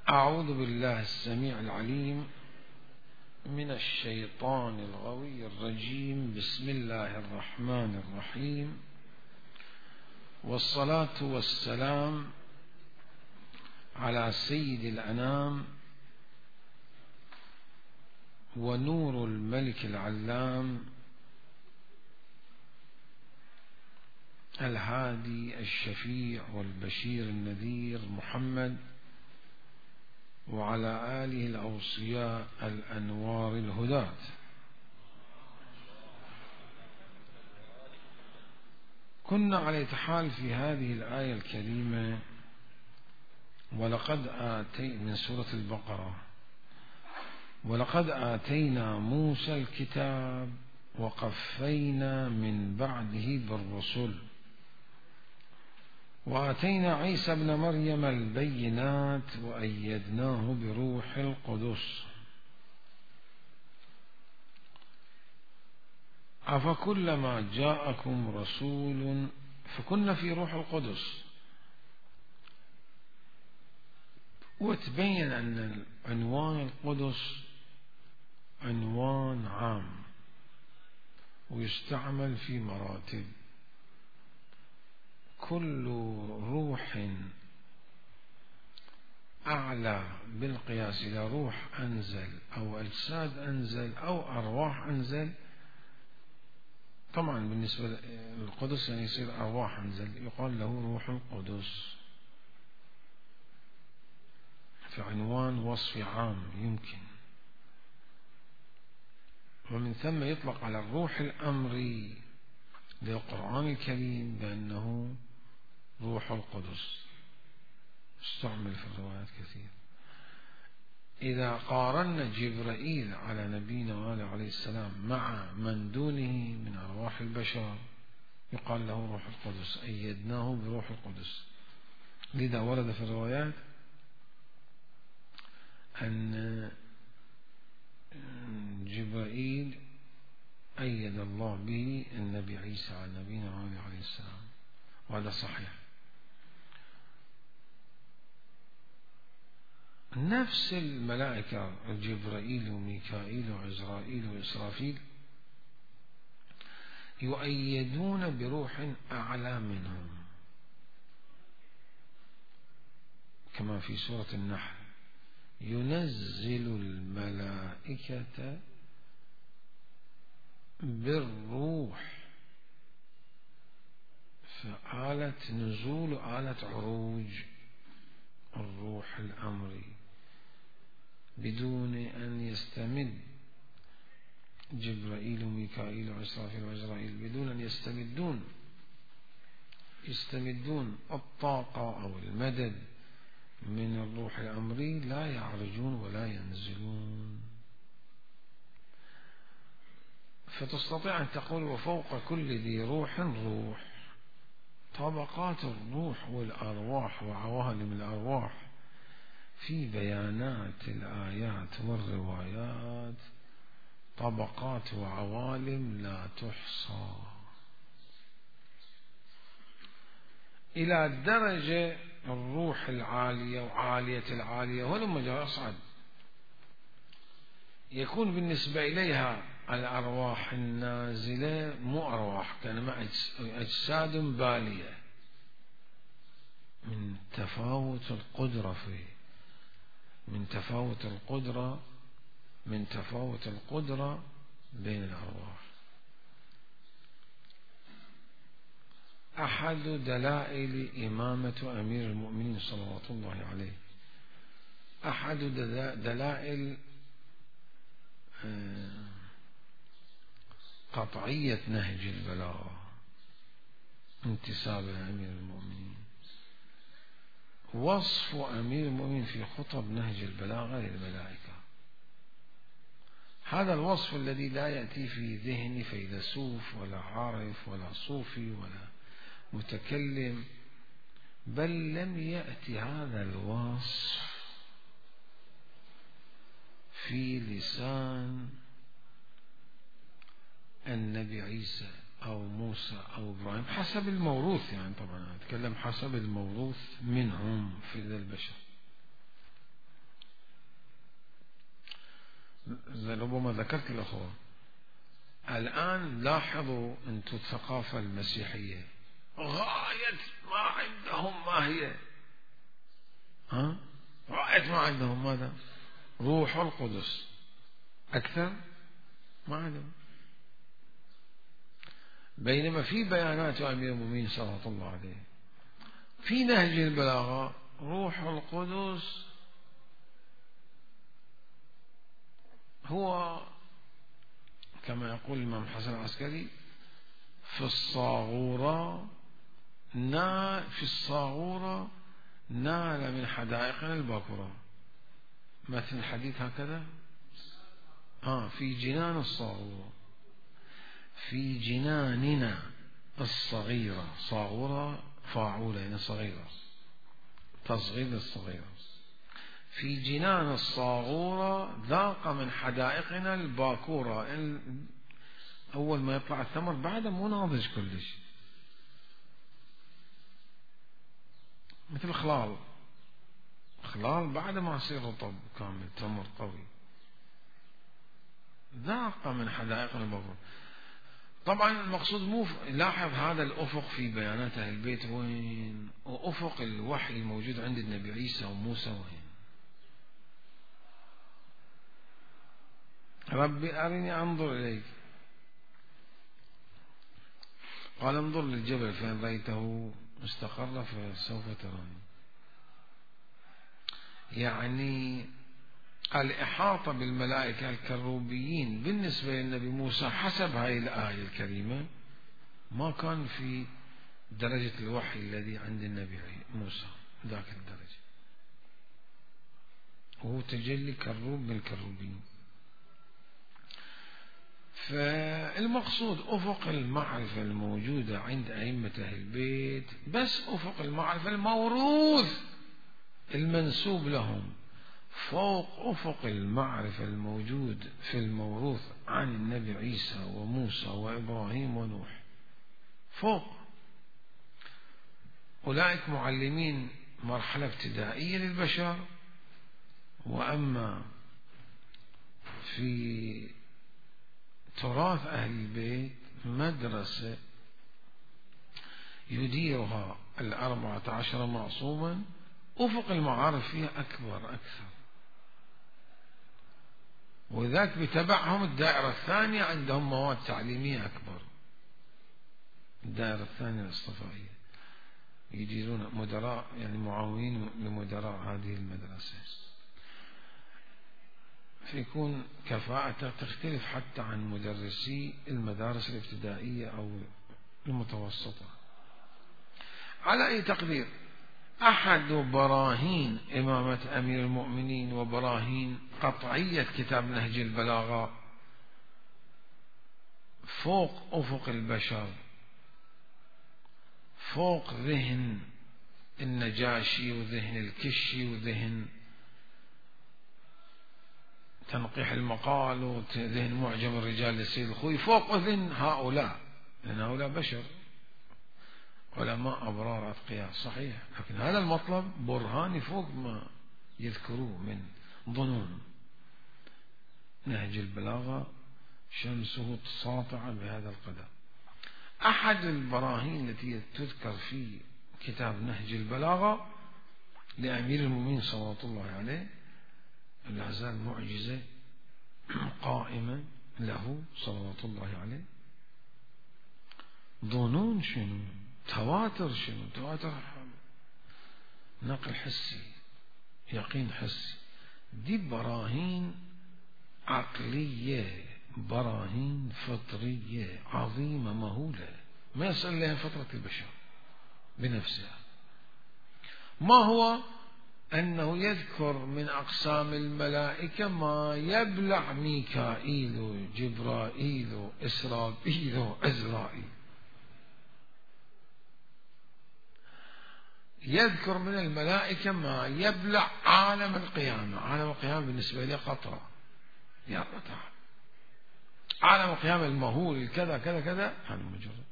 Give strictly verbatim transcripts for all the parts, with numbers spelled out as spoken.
أعوذ بالله السميع العليم من الشيطان الغوي الرجيم. بسم الله الرحمن الرحيم، والصلاة والسلام على سيد الأنام ونور الملك العلام الهادي الشفيع والبشير النذير محمد، وعلى آله الأوصياء الأنوار الهداة. كنا على حال في هذه الآية الكريمة: ولقد آتي من سورة البقرة ولقد آتينا موسى الكتاب وقفينا من بعده بالرسل وآتينا عيسى ابن مريم البينات وأيدناه بروح القدس أفكلما جاءكم رسول. فكنا في روح القدس، وتبين أن عنوان القدس عنوان عام ويستعمل في مراتب. كل روح أعلى بالقياس إلى روح أنزل أو أجساد أنزل أو أرواح أنزل، طبعا بالنسبة للقدس يعني يصير أرواح أنزل، يقال له روح القدس، في عنوان وصف عام يمكن. ومن ثم يطلق على الروح الأمري للقرآن الكريم بأنه روح القدس، استعمل في الروايات كثير. إذا قارنا جبرائيل على نبينا وآله عليه السلام مع من دونه من أرواح البشر يقال له روح القدس، أيدناه بروح القدس. لذا ورد في الروايات أن جبرائيل أيد الله به النبي عيسى على نبينا وآله عليه السلام، وهذا صحيح. نفس الملائكة جبرائيل وميكائيل وعزرائيل وإسرافيل يؤيدون بروح أعلى منهم، كما في سورة النحل: ينزل الملائكة بالروح. فآلة نزول آلة عروج الروح الأمري بدون أن يستمد جبرائيل وميكائيل وإسرافيل وعزرائيل، بدون أن يستمدون يستمدون الطاقة أو المدد من الروح الأمري، لا يعرجون ولا ينزلون. فتستطيع أن تقول: وفوق كل ذي روح روح. طبقات الروح والأرواح وعوالم الأرواح في بيانات الآيات والروايات طبقات وعوالم لا تحصى، إلى درجة الروح العالية وعالية العالية ولما جاء أصعد يكون بالنسبة إليها الأرواح النازلة مو أرواح، كانما أجساد بالية من تفاوت القدرة فيه من تفاوت القدرة من تفاوت القدرة بين الأرواح. أحد دلائل إمامة أمير المؤمنين صلوات الله عليه، أحد دلائل قطعية نهج البلاغة انتساب أمير المؤمنين، وصف أمير المؤمنين في خطب نهج البلاغة للملائكة. هذا الوصف الذي لا يأتي في ذهن فيلسوف ولا عارف ولا صوفي ولا متكلم، بل لم يأتي هذا الوصف في لسان النبي عيسى أو موسى أو إبراهيم حسب الموروث، يعني طبعا أتكلم حسب الموروث منهم في ذا البشر. ربما ذكرت الأخوة الآن لاحظوا أنتم الثقافة المسيحية غاية ما عندهم ما هي؟ ها؟ غاية ما عندهم ماذا؟ روح القدس. أكثر ما عندهم. بينما في بيانات أمير المؤمنين صلى الله عليه في نهج البلاغة روح القدس هو كما يقول الإمام الحسن العسكري في الصاغورة نا في الصاغورة نال من حدائقنا الباكورة. مثل الحديث هكذا آه في جنان الصاغورة في جناننا الصغيرة. صاغورة فاعولة يعني صغيرة تصغير الصغيرة. في جنان الصاغورة ذاق من حدائقنا الباكورة. أول ما يطلع الثمر بعده مو ناضج كلش مثل خلال خلال بعد ما يصير رطب كامل تمر قوي. ذاق من حدائقنا الباكورة. طبعا المقصود مو لاحظ هذا الأفق في بيانات أهل البيت وين؟ وأفق الوحي الموجود عند النبي عيسى وموسى وين؟ ربي أرني أنظر إليك. قال انظر للجبل فإن رأيته مستقر فسوف تراني. يعني الإحاطة بالملائكة الكروبيين بالنسبة للنبي موسى حسب هذه الآية الكريمة ما كان في درجة الوحي الذي عند النبي موسى ذاك الدرجة. وهو تجلي كروب من الكروبين. فالمقصود أفق المعرفة الموجودة عند أئمة أهل البيت بس أفق المعرفة الموروث المنسوب لهم فوق أفق المعرفة الموجود في الموروث عن النبي عيسى وموسى وإبراهيم ونوح. فوق أولئك معلمين مرحلة ابتدائية للبشر. وأما في تراث أهل البيت مدرسة يديرها الأربعة عشر معصوما أفق المعارف فيها أكبر أكثر. وذاك بتبعهم الدائرة الثانية عندهم مواد تعليمية أكبر. الدائرة الثانية الاصطفائية يديرون مدراء يعني معاونين لمدراء هذه المدرسة. فيكون كفاءته تختلف حتى عن مدرسي المدارس الابتدائية أو المتوسطة. على أي تقدير أحد براهين إمامة أمير المؤمنين وبراهين قطعية كتاب نهج البلاغة فوق أفق البشر فوق ذهن النجاشي وذهن الكشي وذهن تنقيح المقال وذهن معجم الرجال للسيد الخوي فوق ذهن هؤلاء. لأن هؤلاء بشر علماء أبرار أتقياء صحيح. لكن هذا المطلب برهاني فوق ما يذكروه من ظنون. نهج البلاغة شمسه ساطعة بهذا القدر. أحد البراهين التي تذكر في كتاب نهج البلاغة لأمير المؤمنين صلى الله عليه لا زال معجزة قائمة له صلوات الله عليه. ظنون شنو؟ تواتر شنو؟ تواتر نقل حسي يقين حسي. دي براهين عقلية براهين فطرية عظيمة مهولة ما يصل لها فطرة البشر بنفسها. ما هو؟ أنه يذكر من أقسام الملائكة ما يبلع ميكائيل وجبرائيل إسرافيل وعزرائيل. يذكر من الملائكة ما يبلع عالم القيامة. عالم القيامة بالنسبة لي قطرة يا قطرة. عالم القيامة المهول كذا كذا كذا هذا مجرد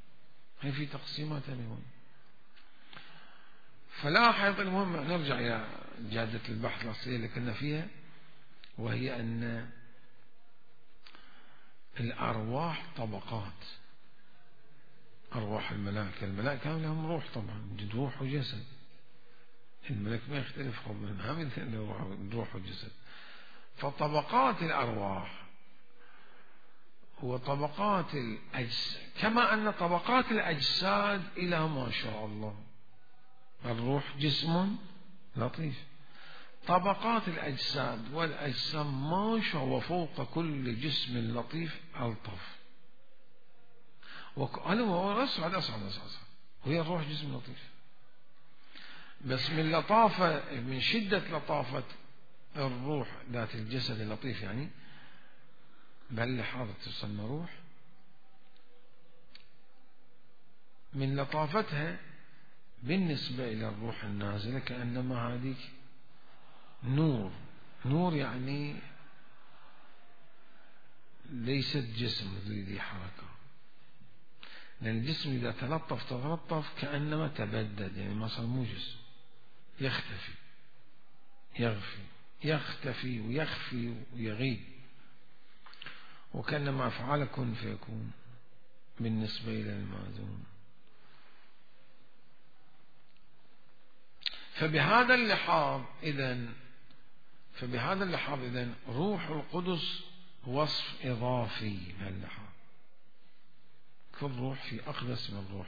هي في تقسيمات اليوم. فلاحظ المهم نرجع إلى جادة البحث الأصلية اللي كنا فيها وهي أن الأرواح طبقات. أرواح الملائكة، الملائكة لهم روح طبعا، روح وجسد. الملك ما يختلف خبرنا هم روح وجسد. فطبقات الأرواح وطبقات الأجساد، كما أن طبقات الأجساد إلى ما شاء الله. الروح جسم لطيف، طبقات الأجساد والأجسام ما شاء الله وفوق كل جسم لطيف ألطف. وهذا هو أسعد أسعد أسعد، وهي الروح جسم لطيف. بس من لطافة، من شدة لطافة الروح ذات الجسد اللطيف، يعني بهاللحاظة تسمى روح، من لطافتها بالنسبة إلى الروح النازلة كأنما هذيك نور. نور يعني ليست جسم ذي حركة، لأن الجسم إذا تلطف تلطف كأنما تبدد، يعني ما صار مو جسم، يختفي يغفي يختفي ويخفي ويغيب، وكأنما أفعال كن فيكون بالنسبة إلى الماذون. فبهذا اللحاظ إذن فبهذا اللحاظ إذن روح القدس وصف إضافي بهاللحاظ. كل روح في أقدس من الروح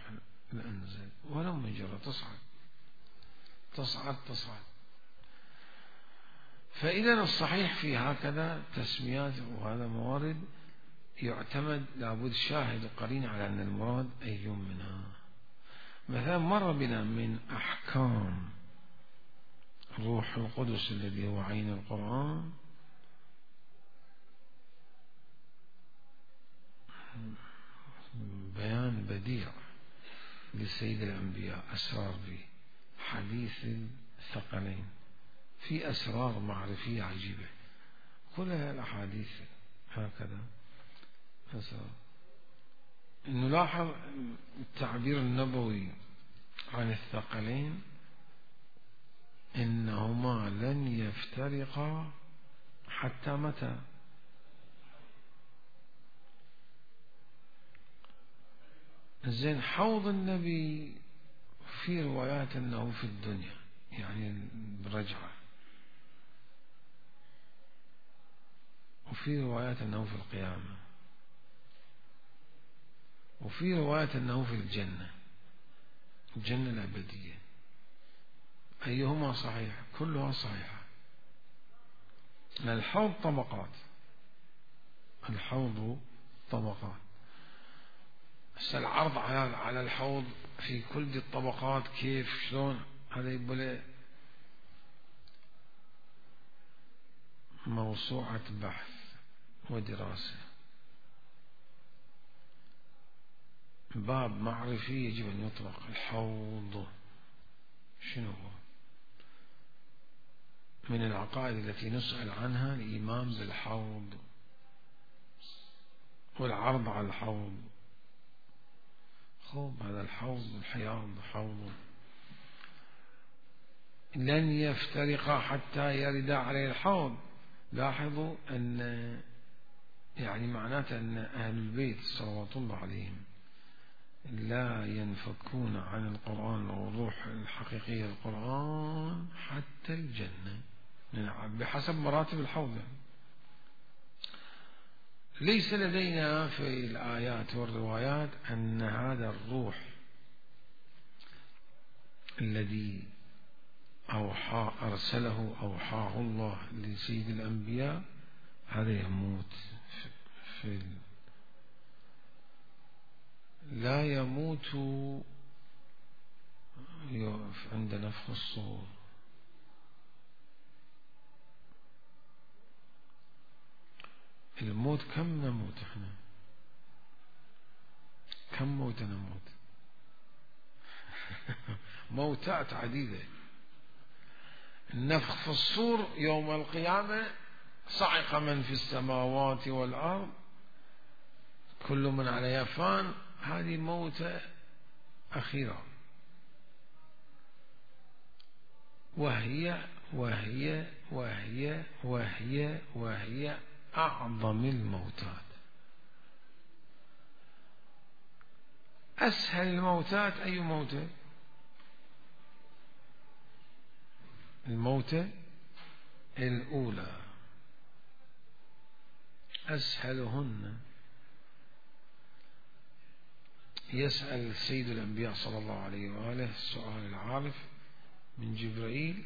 الأنزل، ولو مجرد تصعد تصعد تصعد. فإذا الصحيح في هكذا تسميات وهذا موارد يعتمد لابد شاهد قرين على أن المراد أي منها. مثلا مر بنا من أحكام روح القدس الذي هو عين القرآن بيان بديع لسيد الأنبياء، أسرار به، حديث الثقلين، في أسرار معرفية عجيبة، كلها الأحاديث هكذا أسرار. نلاحظ التعبير النبوي عن الثقلين إنهما لن يفترقا حتى متى؟ زين حوض النبي في روايات أنه في الدنيا، يعني برجعة، وفي روايات أنه في القيامة، وفي روايات أنه في الجنة، الجنة الأبدية. أيهما صحيح؟ كلها صحيحة. الحوض طبقات، الحوض طبقات. العرض على على الحوض في كل دي الطبقات كيف شلون، هذا يبقى موسوعة بحث ودراسة، باب معرفي يجب أن يطلق. الحوض شنو هو؟ من العقائد التي نسأل عنها الإيمان بالحوض والعرض على الحوض. خوب هذا الحوض الحياض حوض لن يفترق حتى يرد عليه الحوض. لاحظوا أن يعني معناته أن أهل البيت صلوات الله عليهم لا ينفكون عن القرآن والروح الحقيقية القرآن حتى الجنة بحسب مراتب الحوض. ليس لدينا في الآيات والروايات أن هذا الروح الذي أوحى أرسله أوحاه الله لسيد الأنبياء هذا يموت في لا يموت عند نفخ الصور. الموت كم نموت احنا؟ كم موت نموت؟ موتات عديدة. النفخ في الصور يوم القيامة صعق من في السماوات والأرض كل من عليها فان، هذه موتة أخيرة، وهي وهي وهي وهي وهي أعظم الموتات. أسهل الموتات أي موتة؟ الموتة الأولى أسهلهن. يسأل سيد الأنبياء صلى الله عليه وآله السؤال العارف من جبرائيل.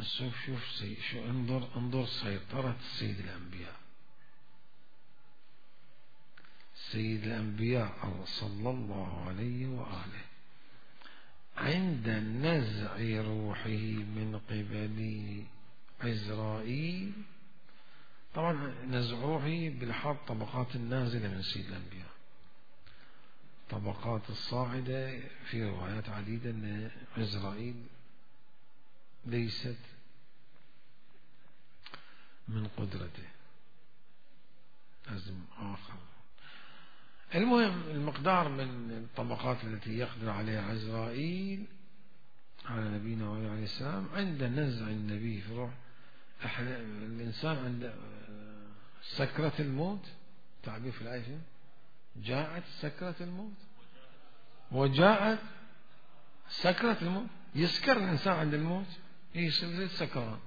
شوف شوف سي شو انظر انظر سيطرة سيد الأنبياء. سيد الأنبياء صلى الله عليه وآله عند نزع روحه من قبل عزرائيل. طبعا نزع روحه بالحرف طبقات النازلة من سيد الأنبياء، طبقات الصاعدة في روايات عديدة أن عزرائيل ليست من قدرته، لازم آخر. المهم المقدار من الطبقات التي يقدر عليها عزرائيل على نبينا عليه السلام عند نزع النبي في روح. الإنسان عند سكرة الموت، تعبير في الآية، جاءت سكرة الموت وجاءت سكرة الموت. يسكر الإنسان عند الموت، يصير سكران.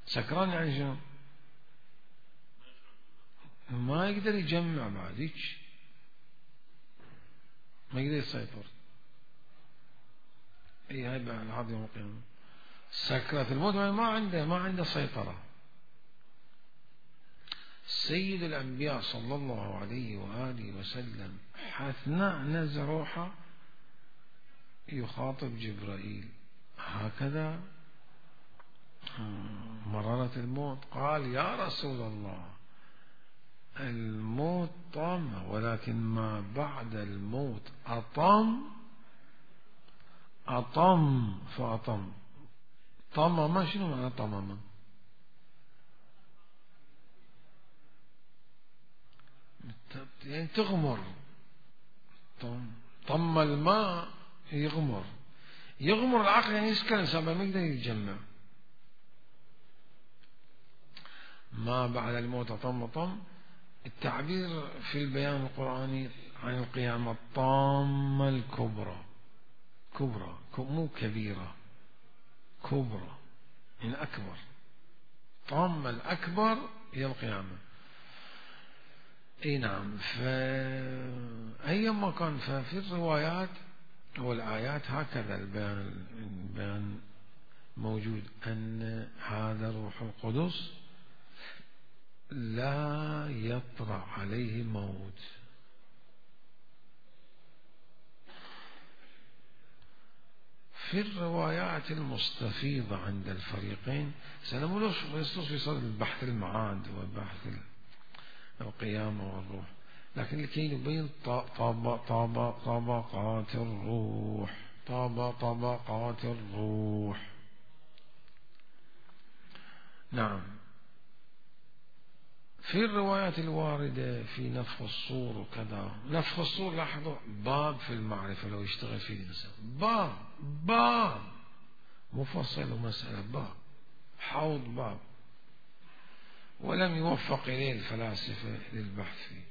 سكران يعني شنو؟ ما يقدر يجمع بعد هيك، ما يقدر يسيطر. اي هاي بعد يوم القيامة سكرة الموت، ما عنده ما عنده سيطرة. سيد الأنبياء صلى الله عليه وآله وسلم أثناء نزع روحه يخاطب جبرائيل هكذا مرارة الموت. قال يا رسول الله الموت طامة، ولكن ما بعد الموت أطم أطم فأطم. طمم شنو معنى طمم؟ يعني تغمر. طم طم الماء يغمر، يغمر العقل يعني يسكر الإنسان ما يقدر يتجمع. ما بعد الموت طم طم. التعبير في البيان القرآني عن القيامة الطامة الكبرى، كبرى مو كبيرة، كبرى يعني أكبر. طامة الأكبر هي القيامة. اي نعم. فأيما كان ففي الروايات والآيات هكذا البيان البيان موجود أن هذا روح القدس لا يطرأ عليه موت. في الروايات المستفيضة عند الفريقين سنقول في صدد البحث المعاد وبحث القيامة والروح، لكن لكي نبين طبقات الروح، طبقات الروح. نعم. في الروايات الواردة في نفخ الصور وكذا، نفخ الصور لاحظوا باب في المعرفة لو يشتغل فيه الإنسان، باب باب مفصل ومسألة، باب حوض باب، ولم يوفق إليه الفلاسفة للبحث فيه،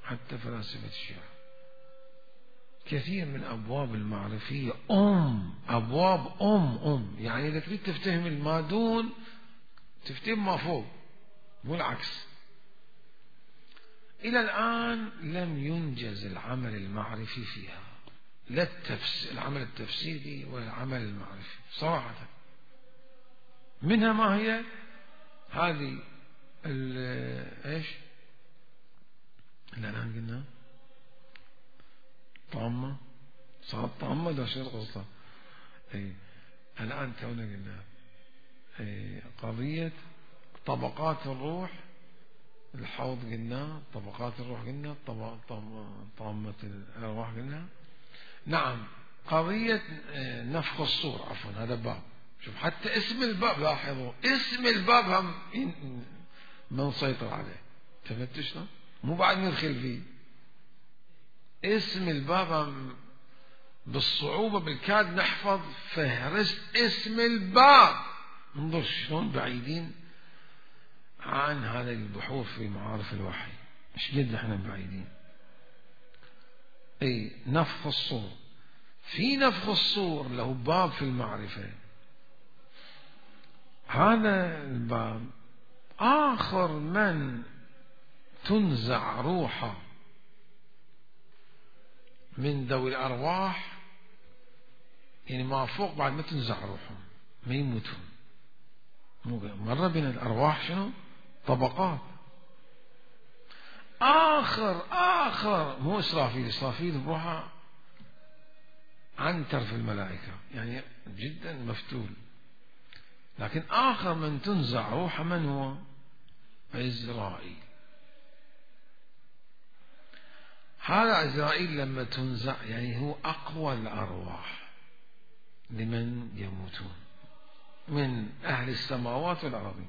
حتى فلاسفة الشيعة. كثير من أبواب المعرفية أم أبواب أم أم يعني إذا تريد تفتهم المادون تفتهم ما فوق، مو العكس. إلى الآن لم ينجز العمل المعرفي فيها، لا التفسير العمل التفسيري ولا العمل المعرفي صراحة. منها ما هي هذه ايش اللي الآن قلنا طامة، صارت طامة ده شيء قصة. اي الآن تونا قلنا اي قضية طبقات الروح، الحوض قلنا، طبقات الروح قلنا، طامة الأرواح قلنا. نعم. قضية نفخ الصور، عفوا هذا باب. شوف حتى اسم الباب لاحظوا اسم الباب هم ما نسيطر عليه، تفتشنا مو بعد ندخل فيه. اسم الباب هم بالصعوبة بالكاد نحفظ فهرست اسم الباب. انظر شلون بعيدين عن هذه البحوث في معارف الوحي. ايش قد احنا بعيدين. اي نفخ الصور، في نفخ الصور له باب في المعرفة. هذا الباب آخر من تنزع روحه من ذوي الأرواح، يعني ما فوق بعد ما تنزع روحهم ما يموتون. مرة بين الأرواح شنو طبقات. آخر آخر مو إسرافيل، إسرافيل بروحه عنتر في الملائكة، يعني جدا مفتول. لكن آخر من تنزع روحه من هو؟ عزرائيل. هذا عزرائيل لما تنزع يعني هو أقوى الأرواح لمن يموتون من أهل السماوات والأرض،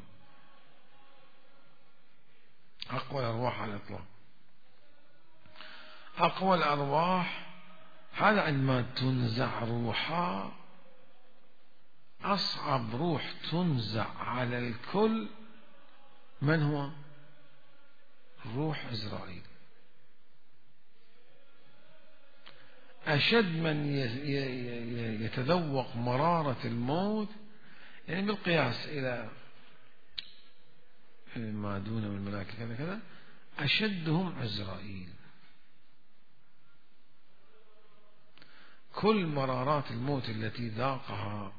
أقوى الأرواح على الإطلاق. أقوى الأرواح هذا عندما تنزع روحها، أصعب روح تنزع على الكل من هو؟ روح عزرائيل. أشد من يتذوق مرارة الموت، يعني بالقياس إلى ما دون الملائكة كذا كذا، أشدهم عزرائيل. كل مرارات الموت التي ذاقها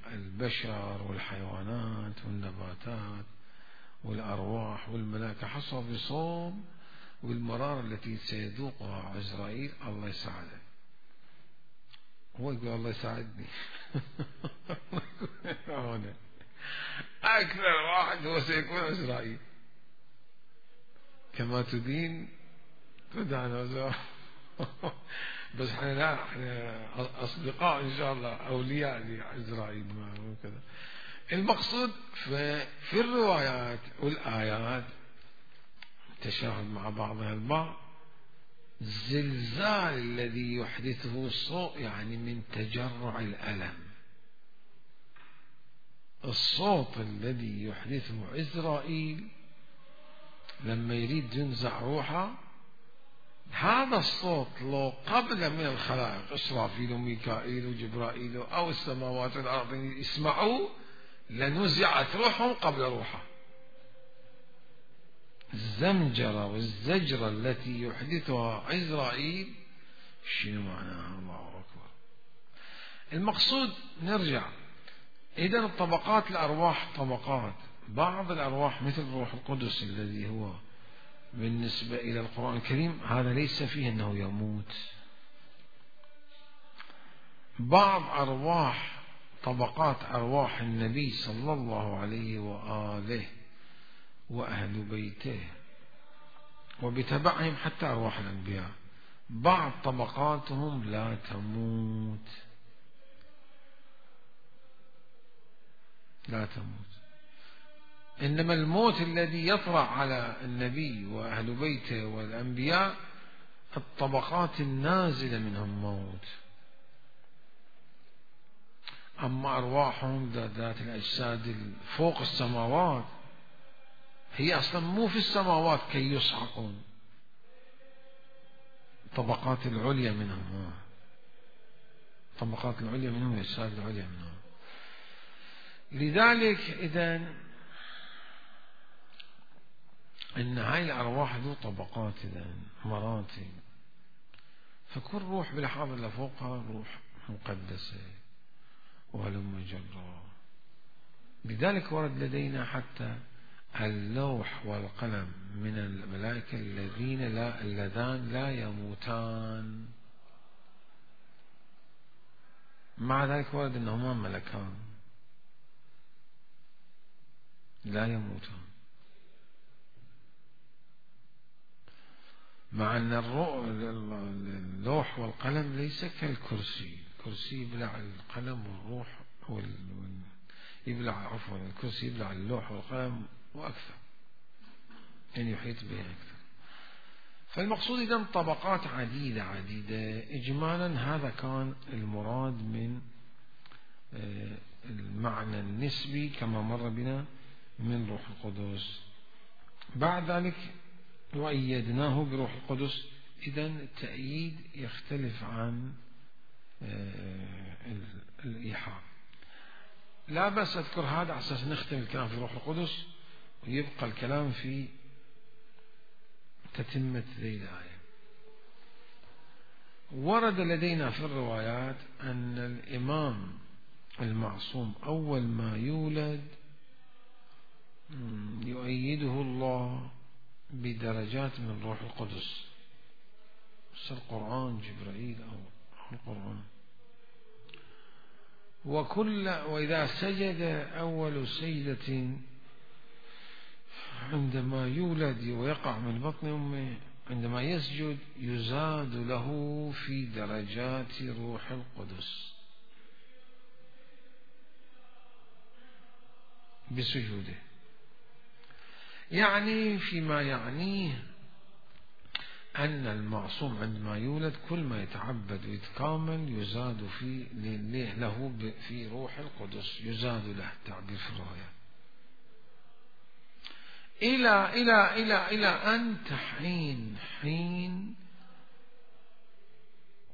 البشر والحيوانات والنباتات والأرواح والملائكة حصى بصوم، والمرارة التي سيذوقها عزرائيل الله يساعده. هو يقول الله يساعدني. أكثر واحد هو سيكون عزرائيل. كما تدين تدان. بس احنا لا، احنا أصدقاء إن شاء الله، أولياء لعزرائيل وكذا. المقصود في الروايات والآيات تشاهد مع بعضها البعض. الزلزال الذي يحدثه الصوت يعني من تجرع الألم، الصوت الذي يحدثه عزرائيل لما يريد ينزع روحه، هذا الصوت لو قبل من الخلائق إسرافيل وميكائيل وجبرائيل أو السماوات والأرض يسمعوا لنزعت روحهم قبل روحه. الزمجرة والزجرة التي يحدثها عزرائيل شنو معناها؟ الله أكبر. المقصود نرجع إذن الطبقات الأرواح طبقات. بعض الأرواح مثل روح القدس الذي هو بالنسبة إلى القرآن الكريم هذا ليس فيه أنه يموت. بعض أرواح طبقات أرواح النبي صلى الله عليه وآله وأهل بيته وبتبعهم حتى أرواح الأنبياء، بعض طبقاتهم لا تموت، لا تموت. إنما الموت الذي يطرأ على النبي وأهل بيته والأنبياء الطبقات النازلة منهم موت. أما أرواحهم ذات الأجساد فوق السماوات هي أصلا مو في السماوات كي يصعقون، طبقات العليا منهم، طبقات العليا منهم الأجساد العليا منهم. لذلك إذن إن هاي الأرواح ذو طبقات إذن مراتب، فكل روح بالحاضر اللي فوقها روح مقدسة وهلم جرا. لذلك ورد لدينا حتى اللوح والقلم من الملائكة الذين لا اللذان لا يموتان، مع ذلك ورد أنهما ملكان لا يموتان، مع أن اللوح والقلم ليس كالكرسي. الكرسي يبلع القلم والروح وال... يبلع عفوا الكرسي يبلع اللوح والقلم وأكثر، يعني يحيط به أكثر. فالمقصود إذن طبقات عديدة عديدة. إجمالا هذا كان المراد من المعنى النسبي كما مر بنا من روح القدس. بعد ذلك وأيدناه بروح القدس. إذن التأييد يختلف عن الإيحاء. لا بس أذكر هذا على أساس نختم الكلام في روح القدس ويبقى الكلام في تتمة ذي الآية. ورد لدينا في الروايات أن الإمام المعصوم أول ما يولد يؤيده الله بدرجات من روح القدس، القرآن جبرائيل أو القرآن. وكل وإذا سجد أول سجدة عندما يولد ويقع من بطن أمه، عندما يسجد يزاد له في درجات روح القدس بسجوده. يعني فيما يعنيه أن المعصوم عندما يولد كل ما يتعبد ويتكامل يزاد في له في روح القدس، يزاد له التعبير في الرواية إلى إلى إلى إلى أن تحين حين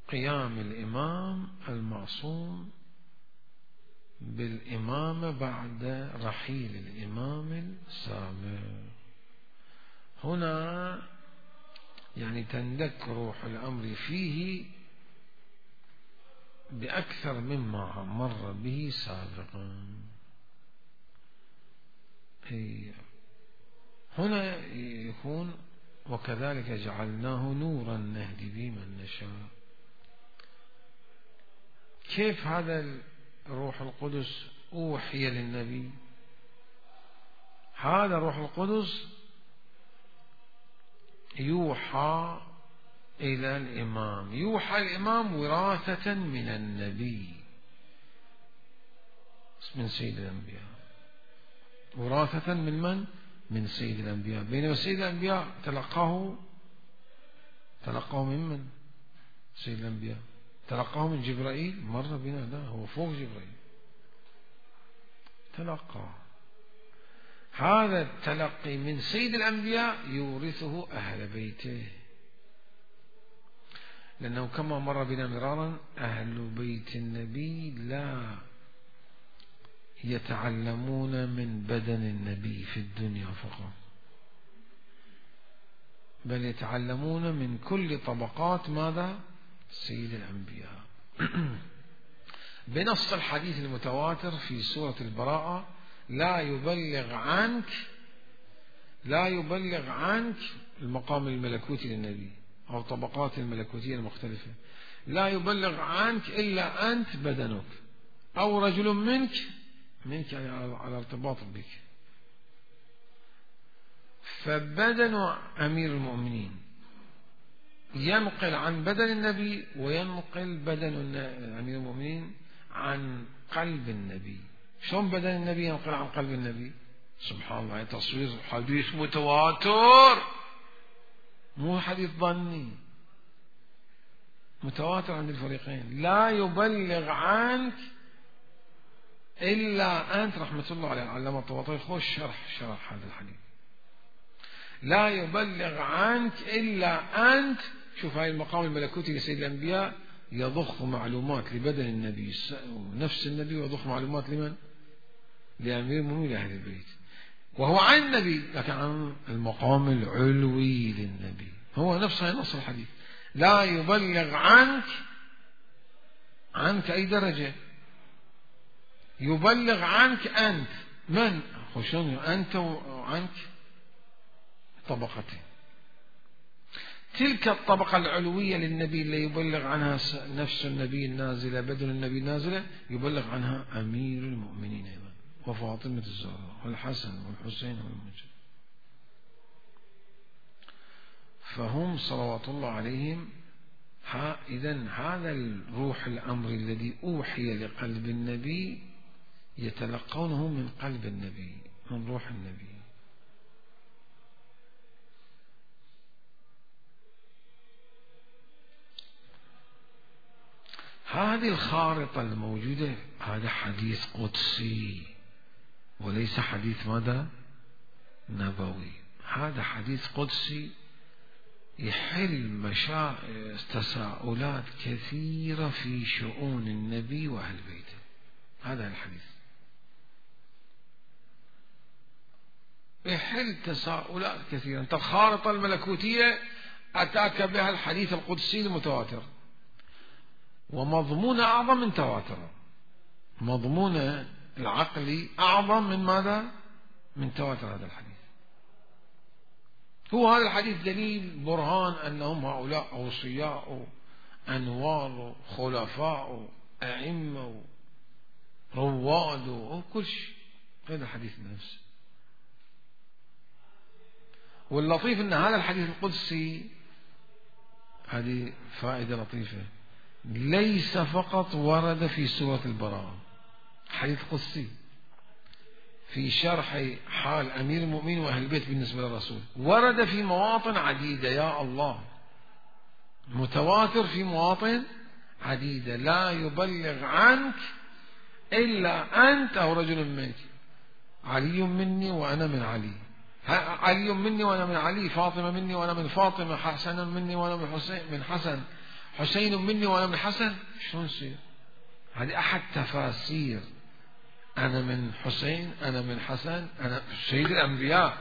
قيام الإمام المعصوم بالإمامة بعد رحيل الإمام السابق. هنا يعني تندك روح الأمر فيه بأكثر مما مر به سابقا. هنا يكون وكذلك جعلناه نورا نهدي به من نشاء. كيف هذا الروح القدس أوحي للنبي؟ هذا روح القدس يوحى إلى الإمام، يوحى الإمام وراثة من النبي من سيد الأنبياء، وراثة من من؟ من سيد الأنبياء. بينما سيد الأنبياء تلقاه تلقاه من من؟ سيد الأنبياء تلقاه من جبرائيل، مر بنا، لا هو فوق جبرائيل تلقاه. هذا التلقي من سيد الأنبياء يورثه أهل بيته، لأنه كما مر بنا مرارا أهل بيت النبي لا يتعلمون من بدن النبي في الدنيا فقط، بل يتعلمون من كل طبقات ماذا؟ سيد الأنبياء. بنص الحديث المتواتر في سورة البراءة: لا يبلغ عنك لا يبلغ عنك المقام الملكوتي للنبي أو طبقات الملكوتية المختلفة، لا يبلغ عنك إلا أنت بدنك أو رجل منك منك يعني على ارتباط بك. فبدن أمير المؤمنين ينقل عن بدن النبي وينقل بدن أمير المؤمنين عن قلب النبي. شلون بدن النبي ينقل عن قلب النبي؟ سبحان الله، تصوير حديث متواتر، مو حديث ظني، متواتر عند الفريقين. لا يبلغ عنك إلا أنت، رحمة الله عليه العلامة الطباطبائي خوش شرح شرح هذا الحديث. لا يبلغ عنك إلا أنت. شوف هاي المقام الملكوتي لسيد الأنبياء يضخ معلومات لبدن النبي نفس النبي، ويضخ معلومات لمن؟ لأمير المؤمنين لأهل البيت، وهو عن النبي لكن عن المقام العلوي للنبي. هو نفسه نص الحديث: لا يبلغ عنك عنك أي درجة؟ يبلغ عنك أنت. من؟ خشون أنت وعنك طبقتين. تلك الطبقة العلوية للنبي اللي يبلغ عنها نفس النبي النازلة، بدن النبي النازلة، يبلغ عنها أمير المؤمنين أيضا، وفاطمة الزهراء والحسن والحسين والمجد. فهم صلوات الله عليهم. إذن هذا الروح الأمر الذي أوحي لقلب النبي يتلقونه من قلب النبي، من روح النبي. هذه الخارطة الموجودة هذا حديث قدسي وليس حديث ماذا؟ نبوي. هذا حديث قدسي يحل مشا... تساؤلات كثيرة في شؤون النبي وأهل بيته. هذا الحديث يحل تساؤلات كثيرة. أنت الخارطة الملكوتية أتاك بها الحديث القدسي المتواتر، ومضمون أعظم من تواتر، مضمون العقلي أعظم من ماذا؟ من تواتر هذا الحديث. هو هذا الحديث دليل برهان أنهم هؤلاء أوصياء أنوار خلفاء أئمة رواد وكل شيء. هذا الحديث نفسه. واللطيف أن هذا الحديث القدسي، هذه فائدة لطيفة، ليس فقط ورد في سورة البراءة، حديث قدسي في شرح حال أمير المؤمنين وأهل البيت بالنسبة للرسول، ورد في مواطن عديدة. يا الله، متواتر في مواطن عديدة. لا يبلغ عنك إلا أنت أو رجل منك. علي مني وأنا من علي، علي مني وأنا من علي، فاطمة مني وأنا من فاطمة، حسن مني وأنا من حسين من حسن، حسين مني وأنا من حسن. شلون يصير؟ هذه أحد تفاسير أنا من حسين، أنا من حسن، أنا سيد الأنبياء.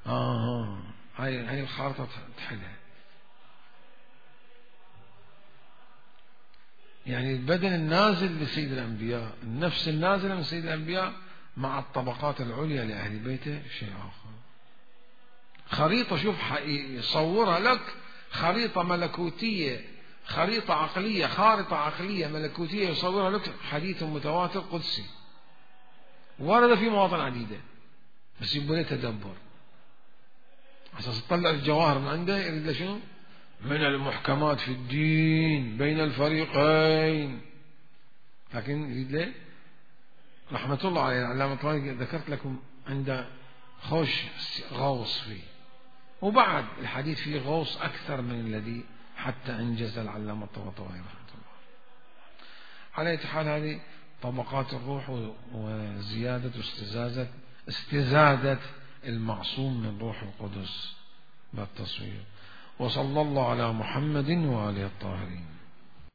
آه هاي هاي الخارطة تحلها. يعني البدن النازل لسيد الأنبياء، النفس النازلة من سيد الأنبياء مع الطبقات العليا لأهل بيته شيء آخر. خريطة، شوف يصورها لك خريطة ملكوتية، خريطة عقلية، خارطة عقلية ملكوتية يصورها لك حديث متواتر قدسي ورد في مواطن عديدة، بس يبقى له تدبر أساس تطلع الجواهر من عنده. يريد له شنو؟ من المحكمات في الدين بين الفريقين. لكن يريد له رحمة الله عليه العلامة الطبري، ذكرت لكم عنده خوش غوص فيه، وبعد الحديث فيه غوص أكثر من الذي حتى أنجز العلامة الطبري رحمة الله. على أي حال هذه طبقات الروح وزيادة واستزادة استزادة المعصوم من روح القدس بالتصوير. وصلى الله على محمد وآله الطاهرين.